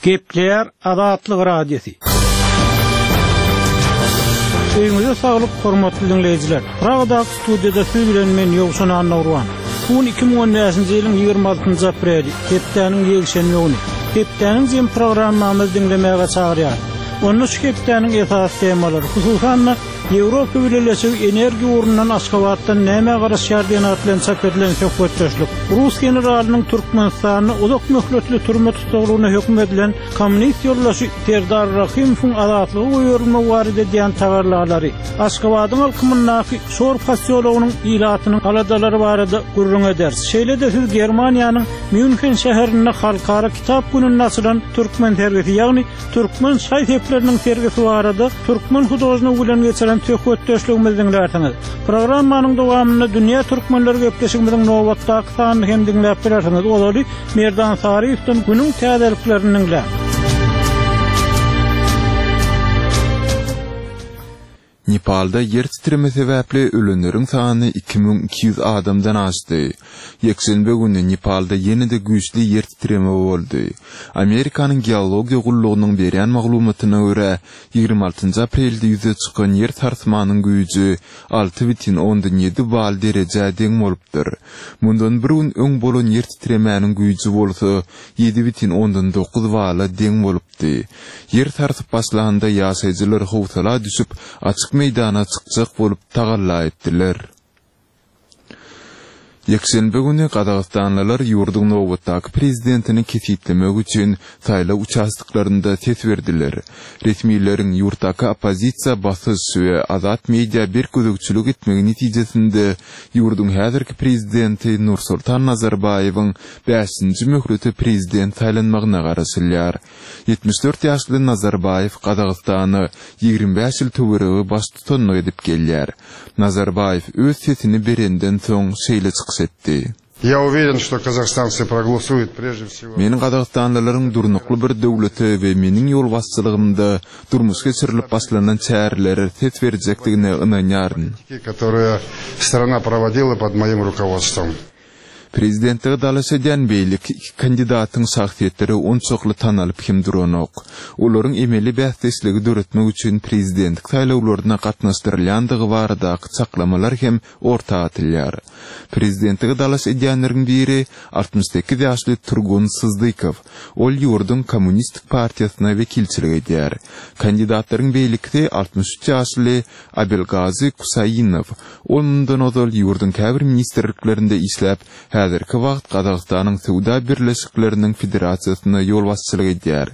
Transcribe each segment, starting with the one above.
Gepleýär Azatlyk Radiosy. Öýüňize saglyk hormatly diňleýjiler. Pragadaky studiýada siz bilen men Ýowşan Annagurban. Bu gün 2015-nji ýylyň 26-njy apreli, hepdäniň ýekşenbe güni. Hepdäniň jem programmamyzy diňlemäge çagyrýarys. Onda şu hepdäniň esasy temalary, hususan-da, Ýewropa Bileleşigi energiýa ugrundan Aşgabatdan nämä garaşýar diýen at bilen çap edilen söhbetdeşlik, rus generalynyň Türkmenistanda uzak möhletli türme tussaglygyna höküm edilen kommunist ýoldaşy Serdar Rahymowyň azatlyga goýberilmegi barada edýän tagallalary, Aşgabadyň alkymyndaky Şor posýologynyň ilatynyň aladalary barada gürrüň ederis. Şeýle-de siz Germaniýanyň Mýunhen şäherinde Halkara kitap gününde açylan türkmen sergisi, ýagny Türkmen şaý-sepleriniň sergisi barada türkmen hudožnigi bilen geçiren söhbetdeşligimizi diňlärsiňiz. Programmanyň dowamynda Dünýä türkmenleri gepleşigimiziň nobatdaky sanyny hem diňläp bilersiňiz. Ozaly Merdan Saryýewden günüň täzeliklerini diňläň. Nepalda ýer titreme sebäpli ölenleriň sany 2200 adamdan aşdy. Ýekşenbe güni Nepalda ýene-de güýçli ýer titreme boldy. Amerikanyň geologiýa gullugynyň berýän maglumatyna görä, 26 aprelde ýüze çykan ýer sarsmanyň güýji 6,7 bal derejä deň bolupdyr. Mundan bir gün öň bolan ýer titremäniň güýji bolsa 7,9 bala deň bolupdyr. Di. Ýer sarsyp başlanda ýaşaýjylar howsala düşüp, açyk meýdana çykjak bolup tagalla etdiler. Ýekşenbe güni gazagystanlylar ýurduň nobatdaky prezidentini kesgitlemek üçin saýlaw uçastoklarynda ses berdiler. Resmileriň ýurtdaky oppozisiýa basyş we azat media berk gözegçilik etmegi netijesinde ýurduň häzirki prezidenti Nursultan Nazarbaýewiň bäşinji möhlete prezident saýlanmagyna garaşylýar. 74 ýaşly Nazarbaýew Gazagystana 25 ýyl töweregi baştutanlyk edip gelýär. Nazarbaýew öz sesini berenden soň şeýle çykyş etdi. Я уверен, что казахстанцы проголосуют прежде всего. Men gazagystanlylaryň durnukly bir döwlete we meniň ýolbaşçylygymda durmuşa geçirilip başlanan çärelere ses berjekdigine ynanýaryn. Которые страна проводила под моим руководством. Prezidentlige dalaş edýän beýleki iki kandidatyň şahsyýetleri onçakly tanalyp hem duranok. Olaryň emeli bäsdeşligi döretmek üçin prezidentlik saýlawlaryna gatnaşdyrylýandygy baradaky çaklamalar hem orta atylýar. Prezidentlige dalaş edýänleriň biri 68 ýaşly Turgun Syzdykow. Ol ýurduň Kommunistik partiýasyna wekilçilik edýär. Kandidatlaryň beýlekisi 63 ýaşly Abelgazy Kusainow. Ol mundan ozal ýurduň käbir ministrliklerinde işläp, häzirki wagt Gazagystanyň Söwda birleşikleriniň federasiýasyna ýolbaşçylyk edýär.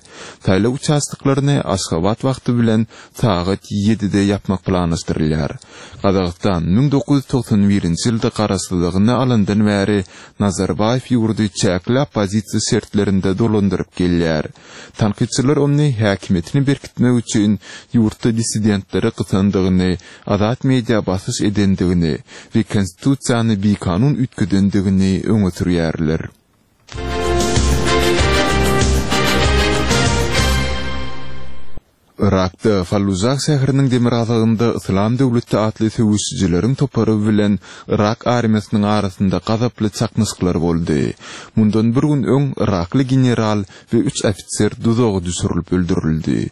Saýlaw uçastoklaryny Aşgabat wagty bilen sagat ýedide ýapmak planlaşdyrylýar. Gazagystan 1991-nji ýylda garaşsyzlygyny alandan bäri Nazarbaýew ýurdy çäkli oppozisiýa şertlerinde dolandyryp gelýär. Tankytçylar ony häkimiýetini berkitmek üçin ýurtda dissidentleri gysandygyny, azat media basyş edendigini we konstitusiýany bikanun üýtgedendigini öňe sürýärler. Yrakda, Fallujah şäheriniň demirgazygynda Yslam döwleti atly söweşijileriň topary bilen yrak armiýasynyň arasynda gazaply çaknyşyklar boldy. Mundan bir gün öň yrakly general we üç ofiser duzaga düşürilip öldürildi.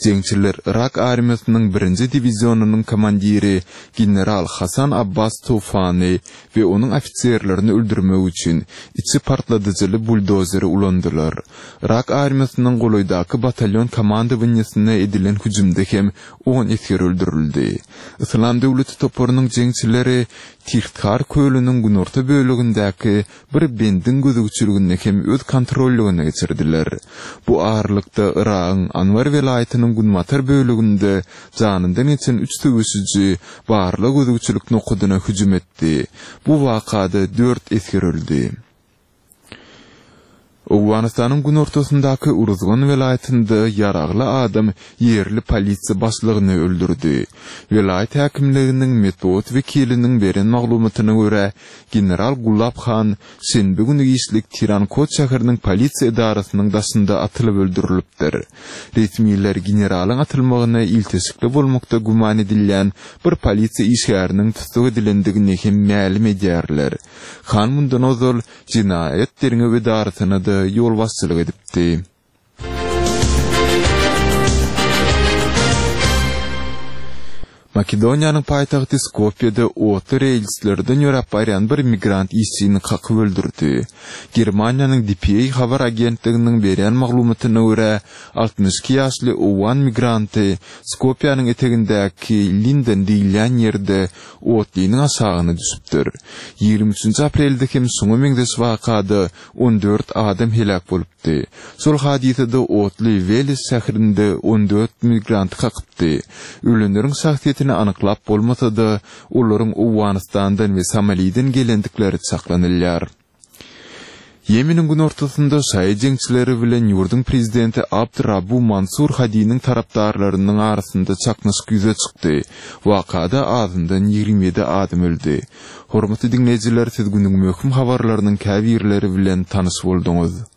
Jeňçiler yrak armiýasynyň birinji diwizionynyň komandiri general Hasan Abbas Toufany we onuň ofiserlerini öldürmek üçin içi partladyjyly buldozeri ulandylar. Yrak armiýasynyň golaýdaky batalýon komandowaniýesine edilen hüjümde hem on esger öldürildi. Yslam döwleti toparynyň jeňçileri Tihthar kölüniň günorta bölegindäki bir bendiň gözegçiligini hem öz kontrollygyna geçirdiler. Bu aralykda Yragyň Anbar welaýatynyň günbatar böleginde janyndan geçen üç söweşiji barlag-gözegçilik nokadyna hüjüm etdi. Bu wakada dört esger öldi. Owganystanyň günortasyndaky Uruzgan welaýatynda ýaragly adam ýerli polisiýa başlygyny öldürdi. Welaýat häkimliginiň metbugat wekiliniň beren maglumatyna görä, general Gulab Han şenbe güni giçlik Tirankot şäheriniň polisiýa edarasynyň daşynda atylyp öldürilipdir. Resmiler generalyň atylmagyna ilteşikli bolmakda güman edilýän bir polisiýa işgäriniň tussag edilendigini hem mälim edýärler. Han mundan ozal jenaýat derňew edarasyna-da ýolbaşçylyk edipdi. Makedoniýanyň paýtagty Skopýede otly relslerden ýöräp barýan bir migrant işçini kakyp öldürdi. Germaniýanyň dpa habar agentliginiň berýän maglumatyna görä, 62 ýaşly owgan migranty Skopýanyň etegindäki Linden diýilýän ýerde otlynyň aşagyna düşüpdir. Ýigrimi üçünji aprelde hem şuňa meňzeş wakada 14 adam heläk bolupdy. Şol hadysada otly Weles şäherinde 14 migranty kakypdy. Ölenleriň şahsyýetini anyklap bolmasa-da, olaryň Owganystandan we Somaliden gelendikleri çaklanylýar. Ýemeniň günortasynda şaýy jeňçileri bilen ýurduň prezidenti Abd Rabu Mansur Hadiniň tarapdarlarynyň arasynda çaknyşyk ýüze çykdy. Wakada azyndan 27 adam öldi. Hormatly diňleýjiler, siz günüň möhüm habarlarynyň käbirleri bilen tanyş bolduňyz.